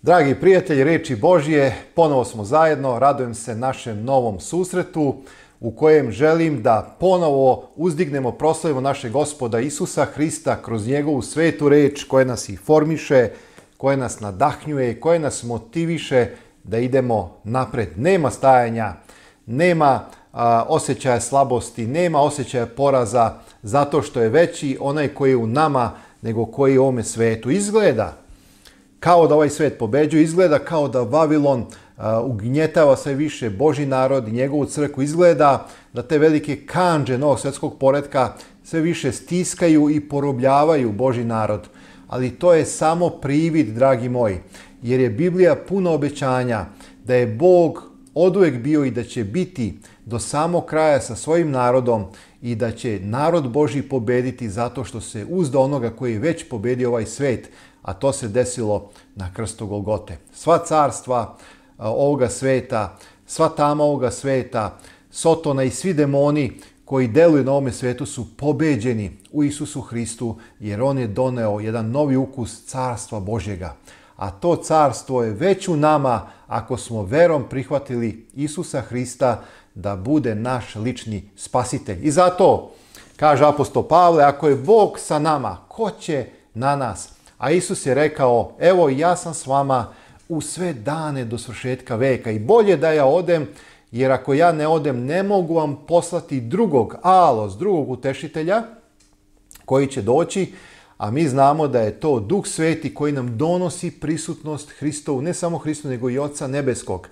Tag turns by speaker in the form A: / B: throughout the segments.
A: Dragi prijatelji Riječi Božje, ponovo smo zajedno, radujem se našem novom susretu u kojem želim da ponovo uzdignemo, proslavimo našeg Gospoda Isusa Hrista kroz njegovu svetu reč koja nas informiše, koja nas nadahnjuje, koja nas motiviše da idemo napred. Nema stajanja, nema osjećaja slabosti, nema osjećaja poraza zato što je veći onaj koji je u nama nego koji je u ovome svetu. Izgleda kao da ovaj svet pobeđuje, izgleda kao da Vavilon ugnjetava sve više Božji narod i njegovu crkvu, izgleda da te velike kandže novog svjetskog poretka sve više stiskaju i porobljavaju Božji narod. Ali to je samo privid, dragi moji, jer je Biblija puno obećanja da je Bog oduvijek bio i da će biti do samog kraja sa svojim narodom i da će narod Božji pobediti zato što se uzda onoga koji je već pobedio ovaj svet, a to se desilo na krstu Golgote. Sva carstva ovoga sveta, sva tama ovoga sveta, Sotona i svi demoni koji deluju na ovome svetu su pobeđeni u Isusu Hristu, jer on je doneo jedan novi ukus carstva Božjega. A to carstvo je već u nama ako smo verom prihvatili Isusa Hrista da bude naš lični spasitelj. I zato, kaže apostol Pavle, ako je Bog sa nama, ko će na nas? A Isus je rekao, evo ja sam s vama u sve dane do svršetka veka i bolje da ja odem, jer ako ja ne odem ne mogu vam poslati drugog utešitelja koji će doći, a mi znamo da je to Duh Sveti koji nam donosi prisutnost Hristovu, ne samo Hristu nego i Oca Nebeskog.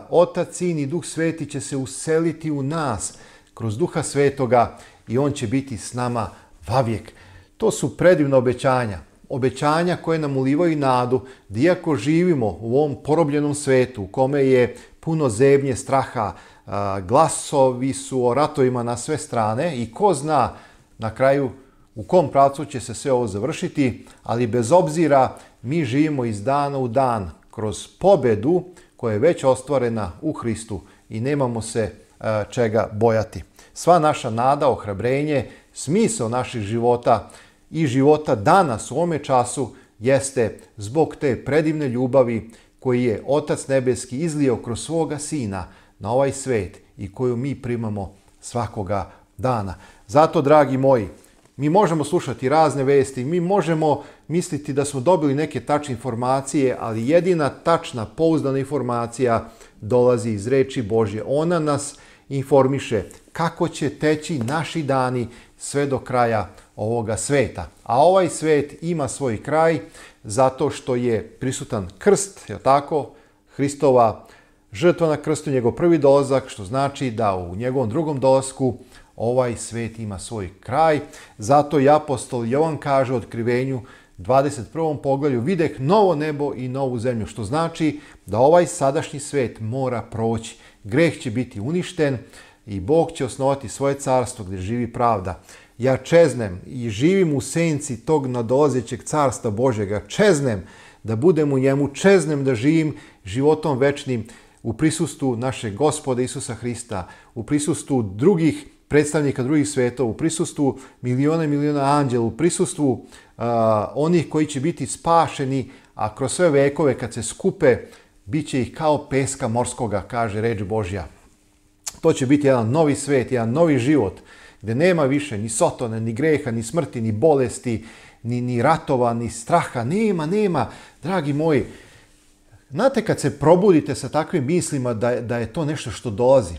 A: Otac, Sin i Duh Sveti će se useliti u nas kroz Duha Svetoga i on će biti s nama vavijek. To su predivna obećanja. Obećanja koje nam ulivaju nadu da iako živimo u ovom porobljenom svetu u kome je puno zebnje, straha, glasovi su o ratovima na sve strane i ko zna na kraju u kom pravcu će se sve ovo završiti, ali bez obzira mi živimo iz dana u dan kroz pobedu koja je već ostvarena u Hristu i nemamo se čega bojati. Sva naša nada, ohrabrenje, smisao naših života i života danas u ovome času jeste zbog te predivne ljubavi koji je Otac Nebeski izlio kroz svoga Sina na ovaj svet i koju mi primamo svakoga dana. Zato, dragi moji, mi možemo slušati razne vesti, mi možemo misliti da smo dobili neke tačne informacije, ali jedina tačna, pouzdana informacija dolazi iz Reči Božje. Ona nas informiše kako će teći naši dani sve do kraja ovoga sveta. A ovaj svet ima svoj kraj zato što je prisutan krst, je tako? Hristova žrtva na krstu, njegov prvi dolazak, što znači da u njegovom drugom dolasku ovaj svet ima svoj kraj. Zato i apostol Jovan kaže u Otkrivenju 21. poglavlju, videh novo nebo i novu zemlju, što znači da ovaj sadašnji svet mora proći. Greh će biti uništen i Bog će osnovati svoje carstvo gdje živi pravda. Ja čeznem i živim u senci tog nadolazećeg carstva Božjega. Čeznem da budem u njemu, čeznem da živim životom večnim u prisustvu našeg Gospoda Isusa Hrista, u prisustvu drugih predstavnika drugih svetova, u prisustvu miliona i miliona anđela, u prisustvu onih koji će biti spašeni, a kroz sve vekove kad se skupe, bit će ih kao peska morskoga, kaže reč Božja. To će biti jedan novi svet, jedan novi život, gdje nema više ni sotone, ni greha, ni smrti, ni bolesti, ni ratova, ni straha. Nema, dragi moji. Znate, kad se probudite sa takvim mislima da je to nešto što dolazi.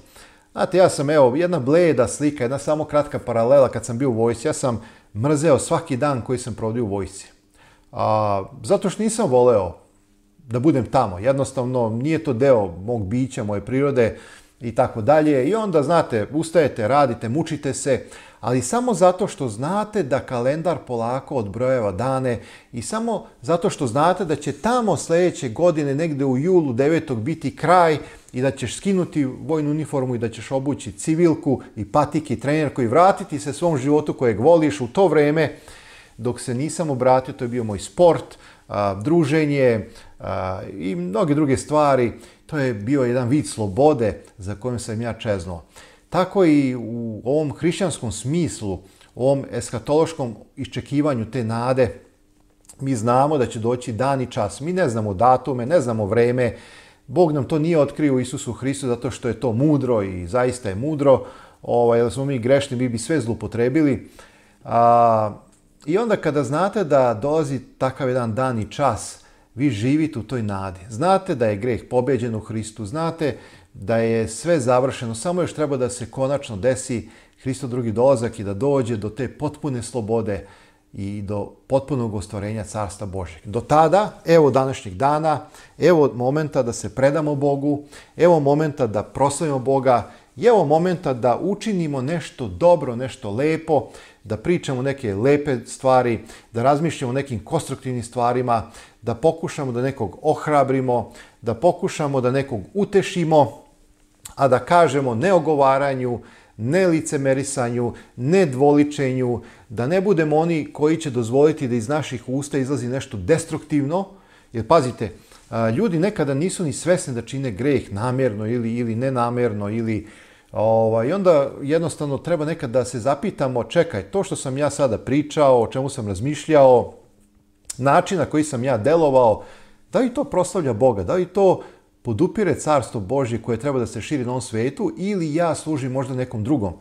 A: Znate, ja sam, jedna bleda slika, jedna samo kratka paralela kad sam bio u vojsci. Ja sam mrzeo svaki dan koji sam provodio u vojsci. Zato što nisam voleo da budem tamo. Jednostavno, nije to deo mog bića, moje prirode i tako dalje. I onda, znate, ustajete, radite, mučite se, ali samo zato što znate da kalendar polako odbrojeva dane i samo zato što znate da će tamo sljedeće godine, negdje u julu 9. biti kraj i da ćeš skinuti vojnu uniformu i da ćeš obući civilku i patike i trenerku i vratiti se svom životu kojeg voliš. U to vreme, dok se nisam obratio, to je bio moj sport, druženje i mnoge druge stvari. To je bio jedan vid slobode za kojim sam ja čeznuo. Tako i u ovom hrišćanskom smislu, u ovom eskatološkom iščekivanju te nade, Mi znamo da će doći dan i čas. Mi ne znamo datume, ne znamo vreme. Bog nam to nije otkrio u Isusu Hristu zato što je to mudro i zaista je mudro. Jer smo mi grešni, mi bi sve zlupotrebili. I onda kada znate da dolazi takav jedan dan i čas, vi živite u toj nadi. Znate da je greh pobeđen u Hristu, znate da je sve završeno, samo još treba da se konačno desi Hristov drugi dolazak i da dođe do te potpune slobode i do potpunog ostvarenja Carstva Božjeg. Do tada, evo današnjeg dana, evo momenta da se predamo Bogu, evo momenta da proslavimo Boga, i evo momenta da učinimo nešto dobro, nešto lepo, da pričamo neke lepe stvari, da razmišljamo o nekim konstruktivnim stvarima, da pokušamo da nekog ohrabrimo, da pokušamo da nekog utešimo, a da kažemo ne ogovaranju, ne licemerisanju, ne dvoličenju, da ne budemo oni koji će dozvoliti da iz naših usta izlazi nešto destruktivno. Jer pazite, ljudi nekada nisu ni svesni da čine greh namjerno ili nenamjerno i onda jednostavno treba nekad da se zapitamo, čekaj, to što sam ja sada pričao, o čemu sam razmišljao, način na koji sam ja delovao, da li to proslavlja Boga, da li to podupire Carstvo Božje koje treba da se širi na ovom svetu ili ja služim možda nekom drugom.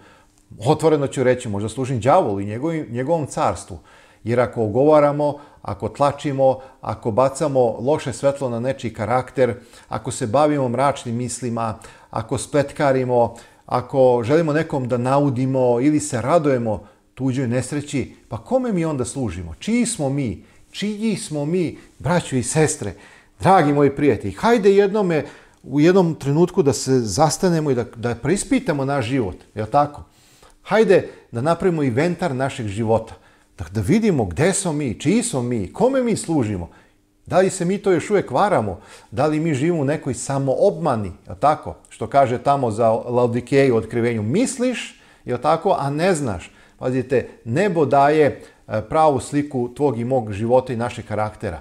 A: Otvoreno ću reći, možda služim đavolu i njegovom carstvu. Jer ako ogovaramo, ako tlačimo, ako bacamo loše svetlo na nečiji karakter, ako se bavimo mračnim mislima, ako spletkarimo, ako želimo nekom da naudimo ili se radujemo tuđoj nesreći, pa kome mi onda služimo? Čiji smo mi? Čiji smo mi, braćo i sestre, dragi moji prijatelji? Hajde u jednom trenutku da se zastanemo i da preispitamo naš život, je li tako? Hajde da napravimo inventar našeg života, da vidimo gde smo mi, čiji smo mi, kome mi služimo. Da li se mi to još uvijek varamo? Da li mi živimo u nekoj samoobmani, je li tako? Što kaže tamo za Laodikeju u Otkrivenju, misliš, je li tako, a ne znaš. Pazite, nebo daje pravu sliku tvog i mog života i našeg karaktera.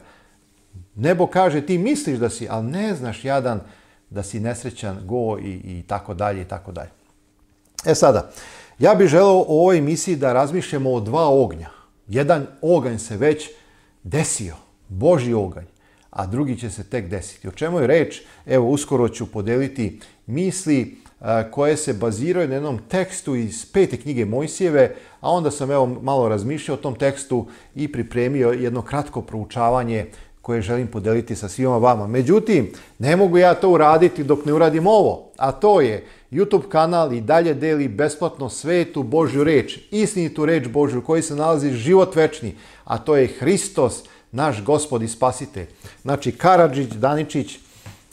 A: Nebo kaže ti misliš da si, ali ne znaš jadan da si nesrećan, go i tako dalje i tako dalje. Sada, ja bih želeo u ovoj emisiji da razmišljamo o dva ognja. Jedan oganj se već desio, Božji oganj, a drugi će se tek desiti. O čemu je reč? Evo, uskoro ću podeliti misli koje se baziraju na jednom tekstu iz 5. knjige Mojsijeve, a onda sam malo razmišljao o tom tekstu i pripremio jedno kratko proučavanje koje želim podeliti sa svima vama. Međutim, ne mogu ja to uraditi dok ne uradim ovo, a to je YouTube kanal i dalje deli besplatno svetu Božju reč, istinitu reč Božju, u kojoj se nalazi život večni, a to je Hristos, naš Gospod i Spasitelj. Znači, Karadžić, Daničić,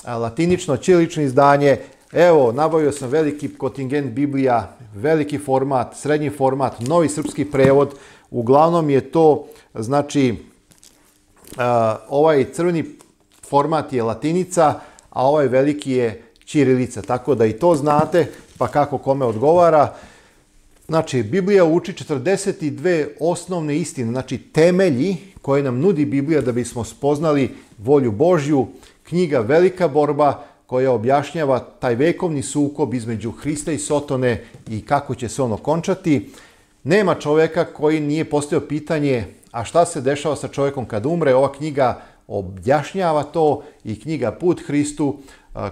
A: latinično, ćirilično izdanje. Evo, nabavio sam veliki kontingent Biblija, veliki format, srednji format, novi srpski prevod. Uglavnom je to, znači, ovaj crveni format je latinica, a ovaj veliki je ćirilica. Tako da i to znate, pa kako kome odgovara. Znači, Biblija uči 42 osnovne istine, znači temelji koje nam nudi Biblija da bismo spoznali volju Božju. Knjiga Velika borba koja objašnjava taj vekovni sukob između Hrista i Sotone i kako će se on okončati. Nema čovjeka koji nije postavio pitanje a šta se dešava sa čovjekom kad umre. Ova knjiga objašnjava to i knjiga Put Hristu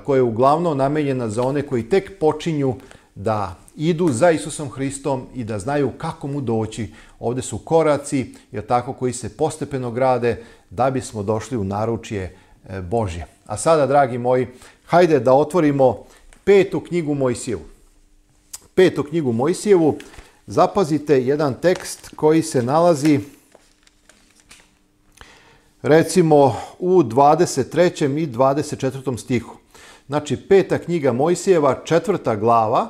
A: koja je uglavnom namenjena za one koji tek počinju da idu za Isusom Hristom i da znaju kako mu doći. Ovdje su koraci, jer tako, koji se postepeno grade da bismo došli u naručje Božje. A sada, dragi moji, hajde da otvorimo 5. knjigu Mojsijevu. 5. knjigu Mojsijevu, zapazite jedan tekst koji se nalazi recimo u 23. i 24. stihu. Znači, 5. knjiga Mojsijeva, 4. glava,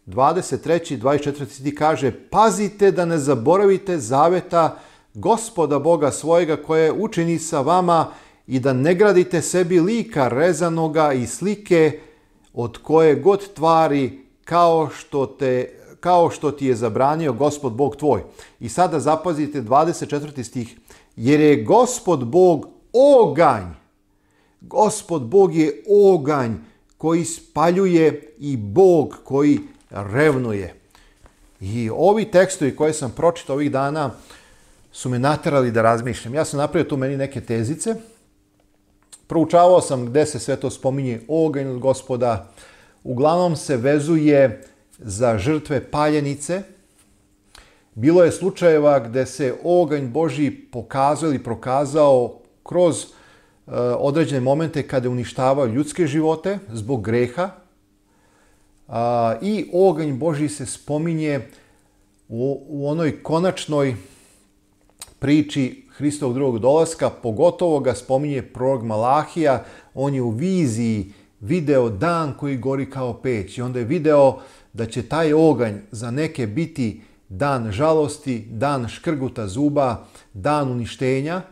A: 23. i 24. stih kaže: pazite da ne zaboravite zaveta Gospoda Boga svojega koje učini sa vama i da ne gradite sebi lika rezanoga i slike od koje god tvari kao što ti je zabranio Gospod Bog tvoj. I sada zapazite 24. stih. Jer je Gospod Bog oganj. Gospod Bog je oganj koji spaljuje i Bog koji revnuje. I ovi tekstovi koje sam pročitao ovih dana su me naterali da razmišljam. Ja sam napravio tu meni neke tezice. Proučavao sam gde se sve to spominje oganj od Gospoda. Uglavnom se vezuje za žrtve paljenice. Bilo je slučajeva gde se oganj Božji pokazao ili prokazao kroz određene momente kada je uništavao ljudske živote zbog greha. I oganj Božji se spominje u onoj konačnoj priči Hristovog drugog dolaska, pogotovo ga spominje prorok Malahija. On je u viziji video dan koji gori kao peć i onda je video da će taj oganj za neke biti dan žalosti, dan škrguta zuba, dan uništenja,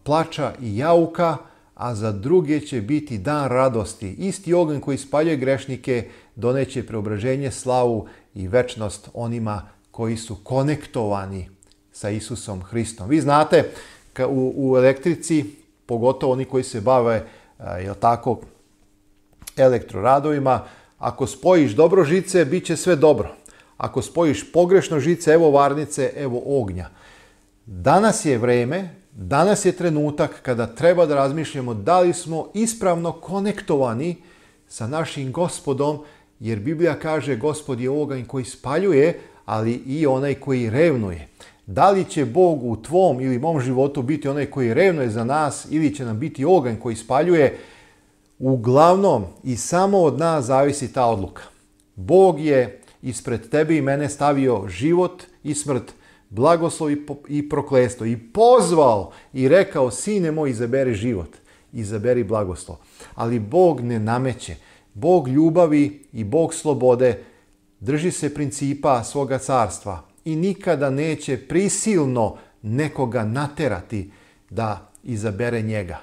A: plača i jauka, a za druge će biti dan radosti. Isti oganj koji spaljuje grešnike doneće preobraženje, slavu i večnost onima koji su konektovani sa Isusom Hristom. Vi znate, u elektrici, pogotovo oni koji se bave elektroradovima, ako spojiš dobro žice, bit će sve dobro. Ako spojiš pogrešno žice, evo varnice, evo ognja. Danas je vreme, danas je trenutak kada treba da razmišljamo da li smo ispravno konektovani sa našim Gospodom, jer Biblija kaže Gospod je oganj koji spaljuje, ali i onaj koji revnuje. Da li će Bog u tvom ili mom životu biti onaj koji revnuje za nas ili će nam biti oganj koji spaljuje? Uglavnom i samo od nas zavisi ta odluka. Bog je ispred tebe i mene stavio život i smrt, blagoslov i prokletstvo i pozvao i rekao: sine moj, izaberi život, izaberi blagoslov. Ali Bog ne nameće. Bog ljubavi i Bog slobode drži se principa svoga carstva i nikada neće prisilno nekoga naterati da izabere njega.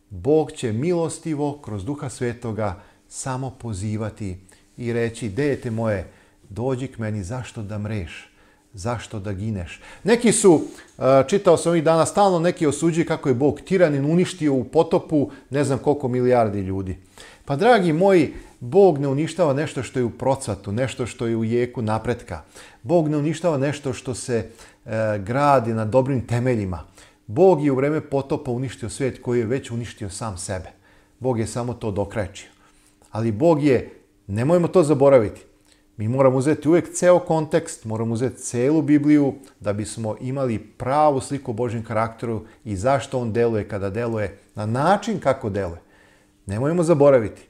A: Bog će milostivo kroz Duha Svetoga samo pozivati i reći: dete moje, dođi k meni, zašto da mreš? Zašto da gineš? Neki su, čitao sam ovih dana, stalno neki osuđuju kako je Bog tiranin, uništio u potopu ne znam koliko milijardi ljudi. Pa dragi moji, Bog ne uništava nešto što je u procvatu, nešto što je u jeku napretka. Bog ne uništava nešto što se gradi na dobrim temeljima. Bog je u vreme potopa uništio svijet koji je već uništio sam sebe. Bog je samo to dokrajčio. Ali Bog je, nemojmo to zaboraviti, mi moramo uzeti uvijek ceo kontekst, moramo uzeti celu Bibliju da bismo imali pravu sliku o Božjem karakteru i zašto on deluje kada deluje na način kako deluje. Nemojmo zaboraviti,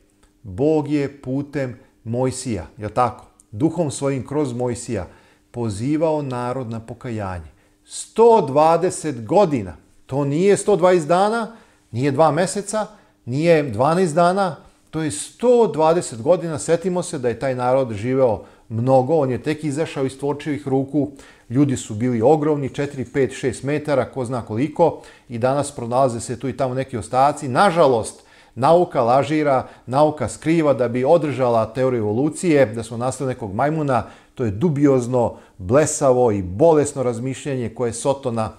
A: Bog je putem Mojsija, je li tako? Duhom svojim kroz Mojsija pozivao narod na pokajanje. 120 godina. To nije 120 dana, nije 2 meseca, nije 12 dana, to je 120 godina. Sjetimo se da je taj narod živeo mnogo, on je tek izašao iz tvorčevih ruku, ljudi su bili ogromni, 4, 5, 6 metara, ko zna koliko, i danas pronalaze se tu i tamo neki ostaci. Nažalost, nauka lažira, nauka skriva da bi održala teoriju evolucije, da smo nastali nekog majmuna. To je dubiozno, blesavo i bolesno razmišljanje koje Sotona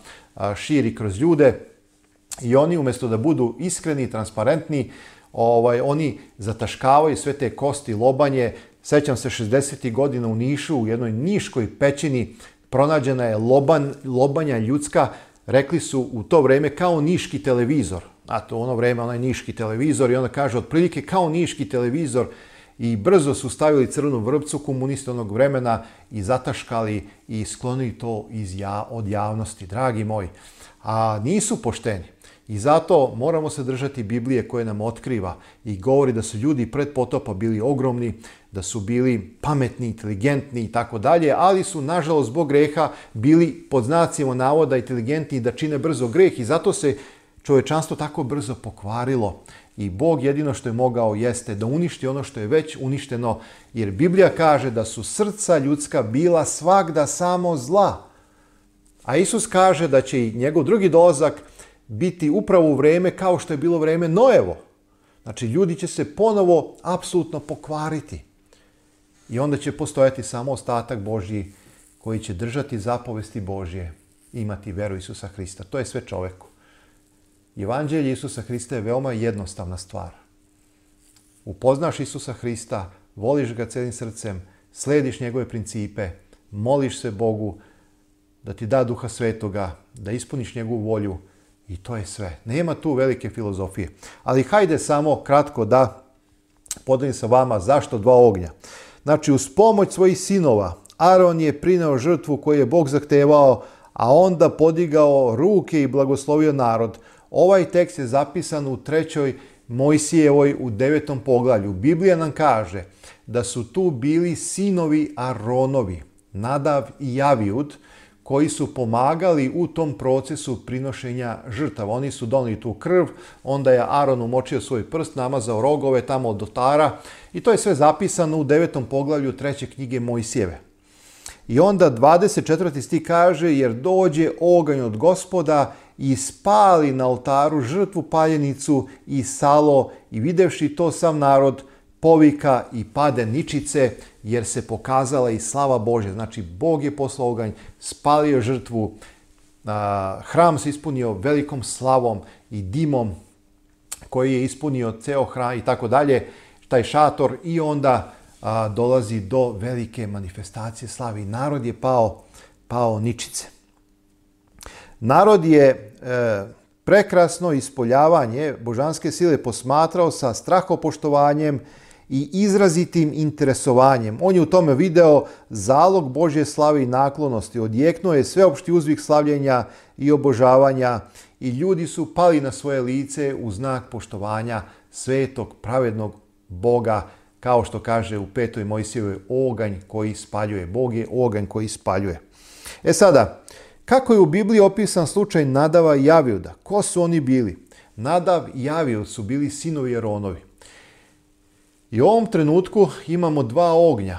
A: širi kroz ljude. I oni umjesto da budu iskreni i transparentni, oni zataškavaju sve te kosti, lobanje. Sećam se 60. godina u Nišu, u jednoj niškoj pećini pronađena je lobanja ljudska. Rekli su u to vreme kao niški televizor. A to u ono vreme onaj niški televizor, i onda kaže otprilike kao niški televizor. I brzo su stavili crvenu vrpcu komunista onog vremena i zataškali i sklonili to od javnosti. Dragi moji, a nisu pošteni. I zato moramo se držati Biblije koje nam otkriva i govori da su ljudi pred potopa bili ogromni, da su bili pametni, inteligentni i tako dalje, ali su nažalost zbog greha bili pod znacima navoda inteligentni da čine brzo greh i zato se čovečanstvo tako brzo pokvarilo. I Bog jedino što je mogao jeste da uništi ono što je već uništeno, jer Biblija kaže da su srca ljudska bila svagda samo zla. A Isus kaže da će i njegov drugi dolazak biti upravo u vreme kao što je bilo vreme Noevo. Znači, ljudi će se ponovo apsolutno pokvariti. I onda će postojati samo ostatak Božji koji će držati zapovesti Božje i imati veru Isusa Hrista. To je sve čoveku. Evanđelje Isusa Hrista je veoma jednostavna stvar. Upoznaš Isusa Hrista, voliš ga celim srcem, slediš njegove principe, moliš se Bogu, da ti da Duha Svetoga, da ispuniš njegovu volju i to je sve. Nema tu velike filozofije. Ali hajde samo kratko da podelim sa vama zašto 2 ognja. Znači, uz pomoć svojih sinova, Aron je prineo žrtvu koju je Bog zahtevao, a onda podigao ruke i blagoslovio narod. Ovaj tekst je zapisan u 3. Mojsijevoj u 9. poglavlju. Biblija nam kaže da su tu bili sinovi Aronovi, Nadav i Javijud, koji su pomagali u tom procesu prinošenja žrtava. Oni su doneli tu krv, onda je Aron umočio svoj prst, namazao rogove tamo od oltara i to je sve zapisano u 9. poglavlju 3. knjige Mojsijeve. I onda 24. stih kaže, jer dođe oganj od Gospoda i spali na oltaru žrtvu paljenicu i salo i videvši to sav narod povika i pade ničice, jer se pokazala i slava Božja. Znači, Bog je poslao oganj, spalio žrtvu, hram se ispunio velikom slavom i dimom koji je ispunio ceo hram i tako dalje, taj šator, i onda dolazi do velike manifestacije slave i narod je pao ničice. Narod je prekrasno ispoljavanje božanske sile posmatrao sa strahopoštovanjem i izrazitim interesovanjem. On je u tome video zalog Božje slave i naklonosti. Odjeknuo je sveopšti uzvik slavljenja i obožavanja i ljudi su pali na svoje lice u znak poštovanja svetog, pravednog Boga, kao što kaže u 5. Mojsijevoj, oganj koji spaljuje. Bog je oganj koji spaljuje. E sada, kako je u Bibliji opisan slučaj Nadava i Javijuda? Ko su oni bili? Nadav i Javijud su bili sinovi Aronovi. I u ovom trenutku imamo 2 ognja.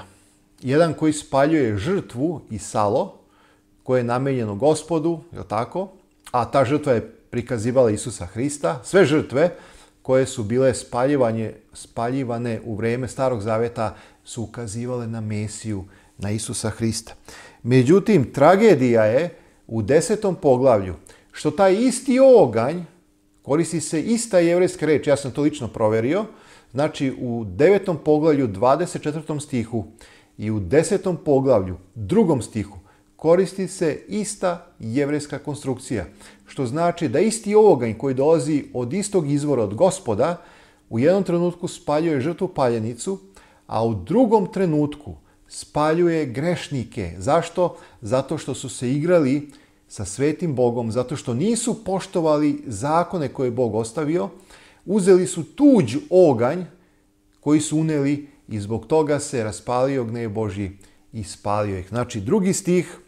A: Jedan koji spaljuje žrtvu i salo, koje je namenjeno Gospodu, je li tako? A ta žrtva je prikazivala Isusa Hrista. Sve žrtve koje su bile spaljivane u vreme Starog Zaveta su ukazivale na Mesiju, na Isusa Hrista. Međutim, tragedija je u 10. poglavlju što taj isti oganj, koristi se ista jevrejska reč, ja sam to lično proverio, znači u 9. poglavlju 24. stihu i u 10. poglavlju 2. stihu koristi se ista jevrejska konstrukcija, što znači da isti oganj koji dolazi od istog izvora od Gospoda u jednom trenutku spaljuje žrtvu paljenicu, a u drugom trenutku spaljuje grešnike. Zašto? Zato što su se igrali sa svetim Bogom, zato što nisu poštovali zakone koje je Bog ostavio, uzeli su tuđ oganj koji su uneli i zbog toga se raspalio gnev Božji i spalio ih. Znači, 2. stih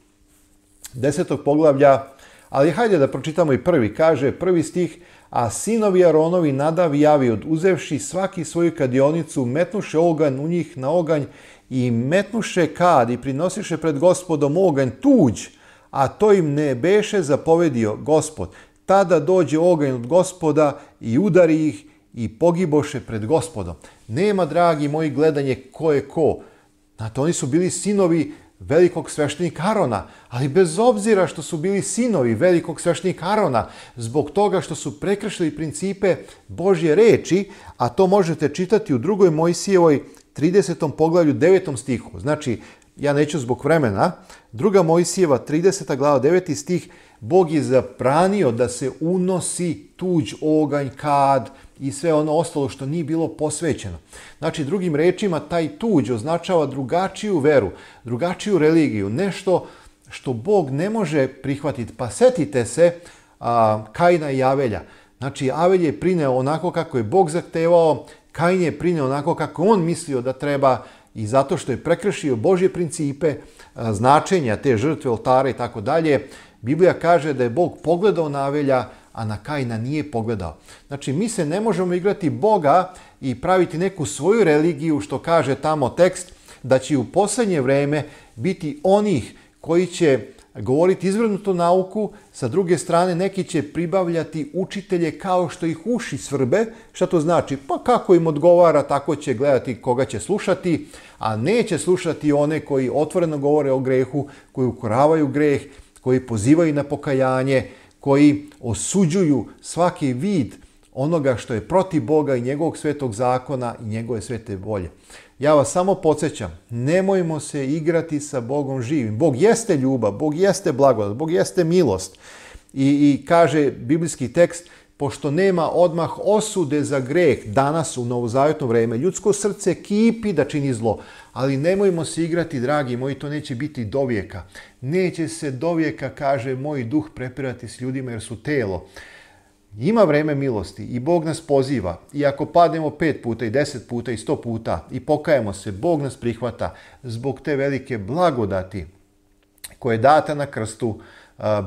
A: 10. poglavlja, ali hajde da pročitamo i prvi. Kaže 1. stih, a sinovi Aronovi Nadav i Javijud, uzevši svaki svoju kadionicu, metnuše oganj u njih na oganj i metnuše kad i prinosiše pred Gospodom oganj tuđ, a to im ne beše zapovedio Gospod. Tada dođe oganj od Gospoda i udari ih i pogiboše pred Gospodom. Nema, dragi moji, gledanje ko je ko. Znate, oni su bili sinovi velikog sveštenika Arona, ali bez obzira što su bili sinovi velikog sveštenika Arona, zbog toga što su prekršili principe Božje reči, a to možete čitati u 2. Mojsijevoj 30. poglavlju 9. stihu. Znači, ja neću zbog vremena, 2. Mojsijeva 30. glava 9. stih, Bog je zabranio da se unosi tuđ oganj, kad i sve ono ostalo što nije bilo posvećeno. Znači, drugim rečima, taj tuđ označava drugačiju veru, drugačiju religiju, nešto što Bog ne može prihvatiti. Pa setite se Kaina i Avelja. Znači, Avelj je prineo onako kako je Bog zahtevao, Kain je prineo onako kako on mislio da treba, i zato što je prekršio Božje principe, značenja te žrtve, oltare i tako dalje, Biblija kaže da je Bog pogledao na Avelja, a na Kaina nije pogledao. Znači, mi se ne možemo igrati Boga i praviti neku svoju religiju, što kaže tamo tekst, da će u posljednje vreme biti onih koji će govoriti izvrnutu nauku, sa druge strane neki će pribavljati učitelje kao što ih uši svrbe. Šta to znači? Pa kako im odgovara, tako će gledati koga će slušati, a neće slušati one koji otvoreno govore o grehu, koji ukoravaju greh, koji pozivaju na pokajanje, koji osuđuju svaki vid onoga što je protiv Boga i njegovog svetog zakona i njegove svete volje. Ja vas samo podsjećam, nemojmo se igrati sa Bogom živim. Bog jeste ljubav, Bog jeste blagodat, Bog jeste milost. I kaže biblijski tekst, pošto nema odmah osude za greh danas u novozavjetno vrijeme, ljudsko srce kipi da čini zlo, ali nemojmo se igrati, dragi moji, to neće biti dovijeka. Neće se dovijeka, kaže, moj duh prepirati s ljudima jer su telo. Ima vrijeme milosti i Bog nas poziva. I ako padnemo 5 puta i 10 puta i 100 puta i pokajemo se, Bog nas prihvata zbog te velike blagodati koje je data na krstu.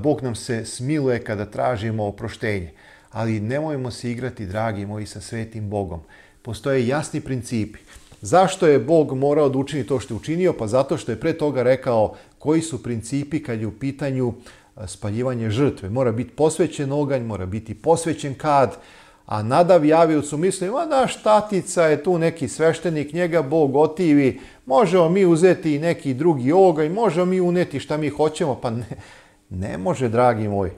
A: Bog nam se smiluje kada tražimo oproštenje. Ali nemojmo se igrati, dragi moji, sa svetim Bogom. Postoje jasni principi. Zašto je Bog morao da učini to što je učinio? Pa zato što je pre toga rekao koji su principi kad je u pitanju spaljivanje žrtve. Mora biti posvećen oganj, mora biti posvećen kad, a nadav javiocu misli, naš tatica je tu neki sveštenik, njega Bog otivi, možemo mi uzeti i neki drugi oganj, možemo mi uneti šta mi hoćemo, pa ne može, dragi moji.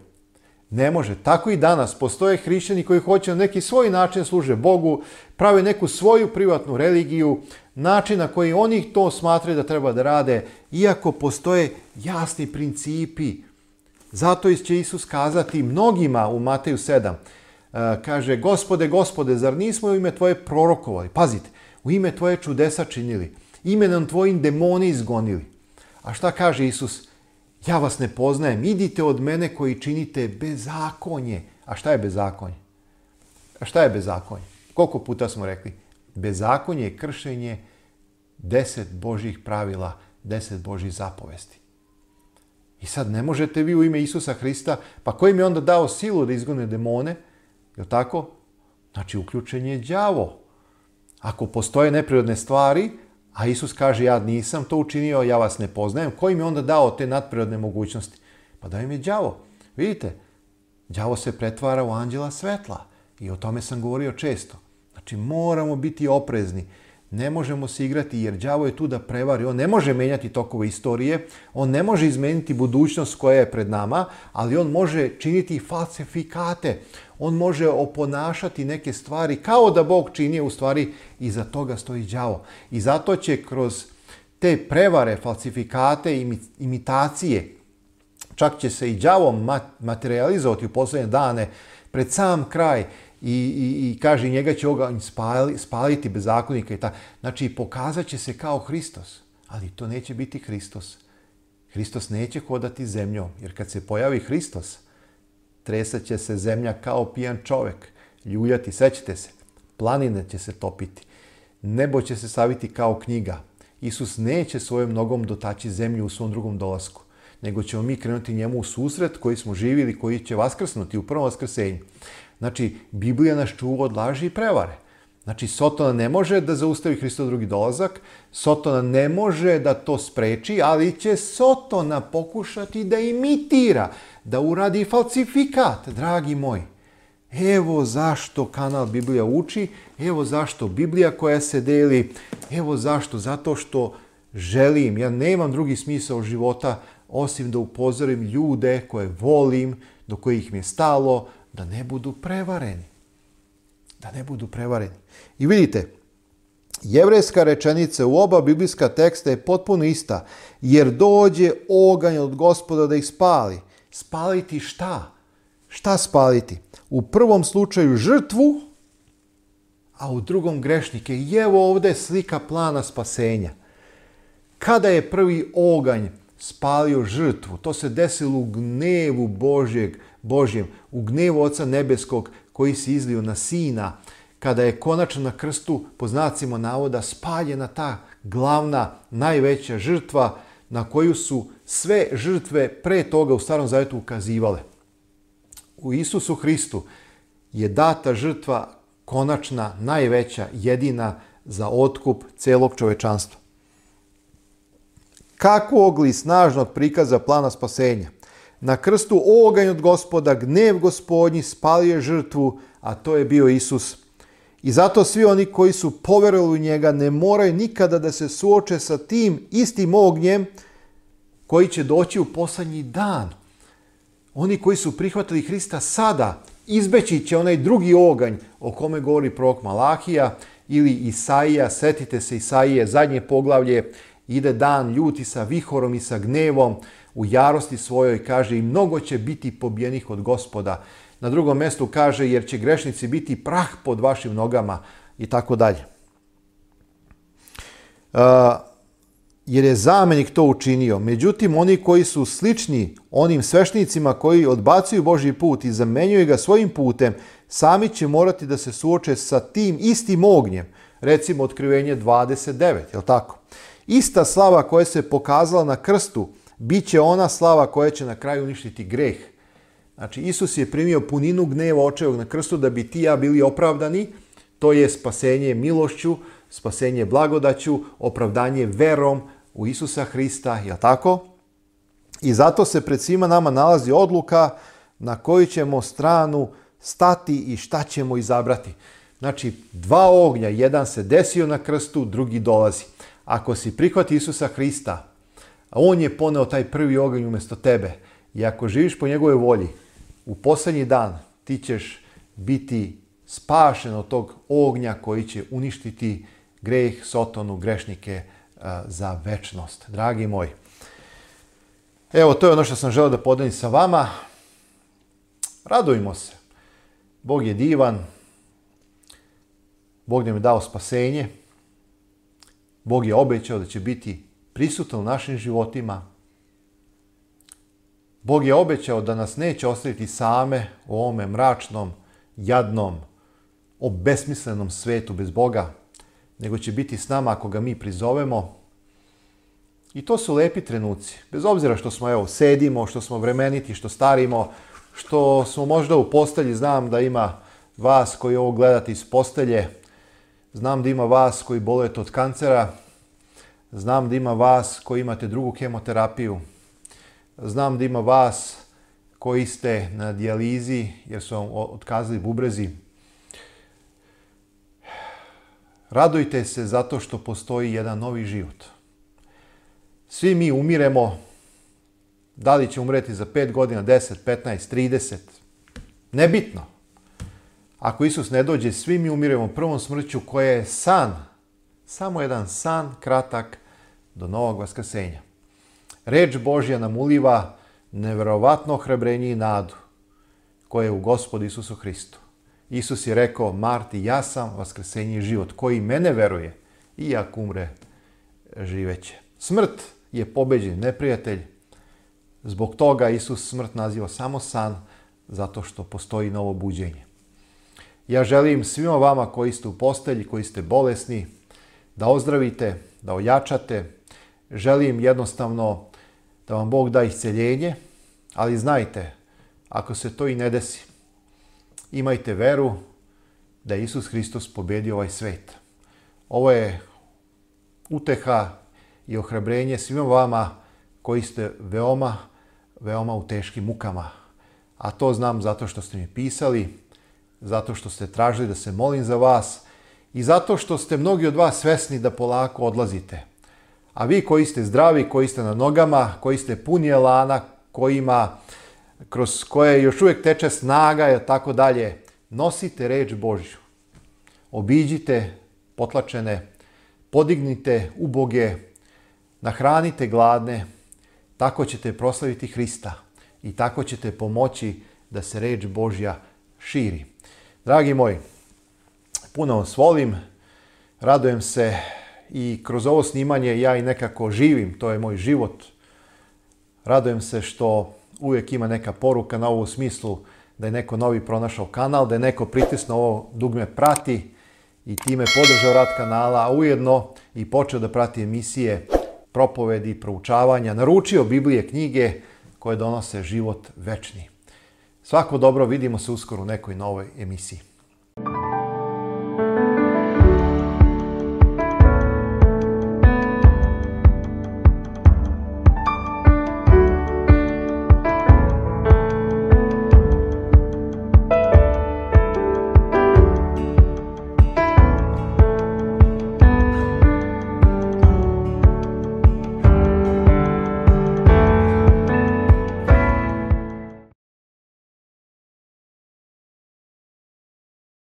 A: Ne može. Tako i danas postoje hrišćani koji hoće na neki svoj način služe Bogu, prave neku svoju privatnu religiju, način na koji oni to smatraju da treba da rade, iako postoje jasni principi. Zato će Isus kazati mnogima u Mateju 7. Kaže, Gospode, Gospode, zar nismo u ime Tvoje prorokovali? Pazite, u ime Tvoje čudesa činili, imenom Tvojim demoni izgonili. A šta kaže Isus? Ja vas ne poznajem, idite od mene koji činite bezakonje. A šta je bezakonje? Koliko puta smo rekli? Bezakonje je kršenje 10 Božjih pravila, 10 Božjih zapovesti. I sad ne možete vi u ime Isusa Hrista, pa ko im je onda dao silu da izgone demone? Je li tako? Znači uključen je đavo. Ako postoje neprirodne stvari, a Isus kaže ja nisam to učinio, ja vas ne poznajem, ko im je onda dao te nadprirodne mogućnosti? Pa da im je đavo. Vidite, đavo se pretvara u anđela svetla i o tome sam govorio često. Znači moramo biti oprezni. Ne možemo se igrati jer đavo je tu da prevari. On ne može menjati tokove istorije, on ne može izmeniti budućnost koja je pred nama, ali on može činiti falsifikate. On može oponašati neke stvari kao da Bog čini, u stvari iza toga stoji đavo. I zato će kroz te prevare, falsifikate, imitacije, čak će se i đavo materializovati u posljednje dane pred sam kraj, i kaže njega će oganj spaliti bezakonika i tako. Znači pokazat će se kao Hristos, ali to neće biti Hristos. Hristos neće hodati zemljom, jer kad se pojavi Hristos, tresat će se zemlja kao pijan čovjek, ljuljati, sećate se, planine će se topiti, nebo će se saviti kao knjiga. Isus neće svojom nogom dotaći zemlju u svom drugom dolasku, nego ćemo mi krenuti njemu u susret koji smo živjeli, koji će vaskrsnuti u prvom vaskrsenju. Znači, Biblija nas čuva od laži i prevare. Znači, Sotona ne može da zaustavi Hristov drugi dolazak, Sotona ne može da to spreči, ali će Sotona pokušati da imitira, da uradi falsifikat, dragi moji. Evo zašto kanal Biblija uči, evo zašto Biblija koja se deli, evo zašto, zato što želim, ja nemam drugi smisao života osim da upozorim ljude koje volim, do kojih mi je stalo, da ne budu prevareni. Da ne budu prevareni. I vidite, jevrejska rečenica u oba biblijska teksta je potpuno ista. Jer dođe oganj od Gospoda da ih spali. Spaliti šta? Šta spaliti? U prvom slučaju žrtvu, a u drugom grešnike. I evo ovdje slika plana spasenja. Kada je prvi oganj spalio žrtvu, to se desilo u gnevu Božjem, u gnevu Oca Nebeskog koji se izlio na Sina, kada je konačno na krstu, po znacima navoda, spaljena ta glavna, najveća žrtva na koju su sve žrtve pre toga u Starom Zavjetu ukazivale. U Isusu Hristu je data žrtva konačna, najveća, jedina za otkup celog čovečanstva. Kakvog li snažnog prikaza plana spasenja? Na krstu oganj od Gospoda, gnev Gospodnji spalio je žrtvu, a to je bio Isus. I zato svi oni koji su poverovali u njega ne moraju nikada da se suoče sa tim istim ognjem koji će doći u posljednji dan. Oni koji su prihvatili Hrista sada, izbeći će onaj drugi oganj o kome govori prorok Malahija, Ili Isaija, setite se Isaije, zadnje poglavlje, ide dan ljuti sa vihorom i sa gnevom, u jarosti svojoj, kaže, i mnogo će biti pobijenih od Gospoda. Na drugom mjestu kaže, jer će grešnici biti prah pod vašim nogama i tako dalje. Jer je zamenik to učinio. Međutim, oni koji su slični onim sveštenicima koji odbacuju Božji put i zamenjuju ga svojim putem, sami će morati da se suoče sa tim istim ognjem. Recimo Otkrivenje 29, je li tako? Ista slava koja se pokazala na krstu, bit će ona slava koja će na kraju uništiti greh. Znači, Isus je primio puninu gneva očevog na krstu da bi ti i ja bili opravdani. To je spasenje milošću, spasenje blagodaću, opravdanje verom u Isusa Hrista, je li tako? I zato se pred svima nama nalazi odluka na koju ćemo stranu stati i šta ćemo izabrati. Znači, dva ognja, jedan se desio na krstu, drugi dolazi. Ako si prihvati Isusa Hrista, on je poneo taj prvi oganj umjesto tebe. I ako živiš po njegovoj volji, u posljednji dan ti ćeš biti spašen od tog ognja koji će uništiti greh, sotonu, grešnike za večnost. Dragi moji, evo, to je ono što sam želeo da podelim sa vama. Radujmo se. Bog je divan. Bog nam je dao spasenje. Bog je obećao da će biti prisutan u našim životima. Bog je obećao da nas neće ostaviti same u ovome mračnom, jadnom, obesmislenom svetu bez Boga, nego će biti s nama ako ga mi prizovemo. I to su lepi trenuci. Bez obzira što smo, sedimo, što smo vremeniti, što starimo, što smo možda u postelji. Znam da ima vas koji ovo gledate iz postelje. Znam da ima vas koji bolujete od kancera. Znam da ima vas koji imate drugu kemoterapiju. Znam da ima vas koji ste na dijalizi jer su vam otkazali bubrezi. Radujte se zato što postoji jedan novi život. Svi mi umiremo. Da li će umreti za 5 godina, 10, 15, 30? Nebitno. Ako Isus ne dođe, svi mi umiremo prvom smrću koja je san. Samo jedan san kratak do novog vaskrsenja. Reč Božja nam uliva neverovatno ohrabrenje i nadu koje je u Gospodu Isusu Hristu. Isus je rekao, Marti, ja sam vaskrsenje i život. Koji mene veruje, i ako umre, živeće. Smrt je pobeđen neprijatelj. Zbog toga Isus smrt naziva samo san, zato što postoji novo buđenje. Ja želim svima vama koji ste u postelji, koji ste bolesni, da ozdravite, da ojačate. Želim jednostavno da vam Bog da isceljenje, ali znajte, ako se to i ne desi, imajte veru da je Isus Hristos pobedio ovaj svet. Ovo je uteha i ohrabrenje svima vama koji ste veoma, veoma u teškim mukama. A to znam zato što ste mi pisali, zato što ste tražili da se molim za vas i zato što ste mnogi od vas svesni da polako odlazite. A vi koji ste zdravi, koji ste na nogama, koji ste puni elana, kroz koje još uvijek teče snaga i tako dalje, nosite reč Božju. Obiđite potlačene, podignite uboge, nahranite gladne, tako ćete proslaviti Hrista i tako ćete pomoći da se reč Božja širi. Dragi moji, puno vas volim, radujem se i kroz ovo snimanje ja i nekako živim, to je moj život. Radujem se što uvijek ima neka poruka na ovu smislu da je neko novi pronašao kanal, da je neko pritisnuo ovo dugme prati i time podržao rad kanala, a ujedno i počeo da prati emisije, propovedi, proučavanja, naručio Biblije, knjige koje donose život večni. Svako dobro, vidimo se uskoro u nekoj novoj emisiji.